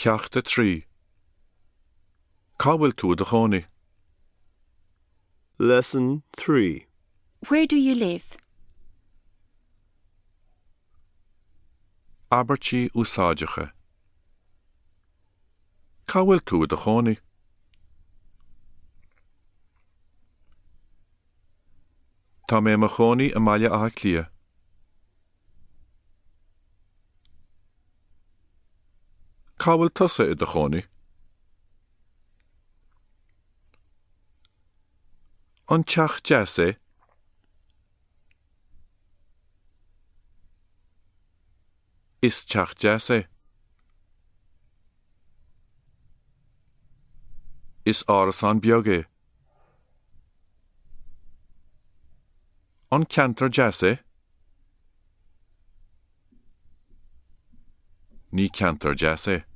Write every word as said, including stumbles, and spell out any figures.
Ceacht a trí. Cá bhfuil tú i do chónaí? Lesson three. Where do you live? Abairtí úsáideacha. Cá bhfuil tú i do chónaí? Tá mé i mo chónaí i mBaile Átha Cliath. Cá bhfuil tusa i do chónaí? An teach deas é? Is teach deas é. Is árasán beag é. An ceantar deas é? Ní ceantar deas é.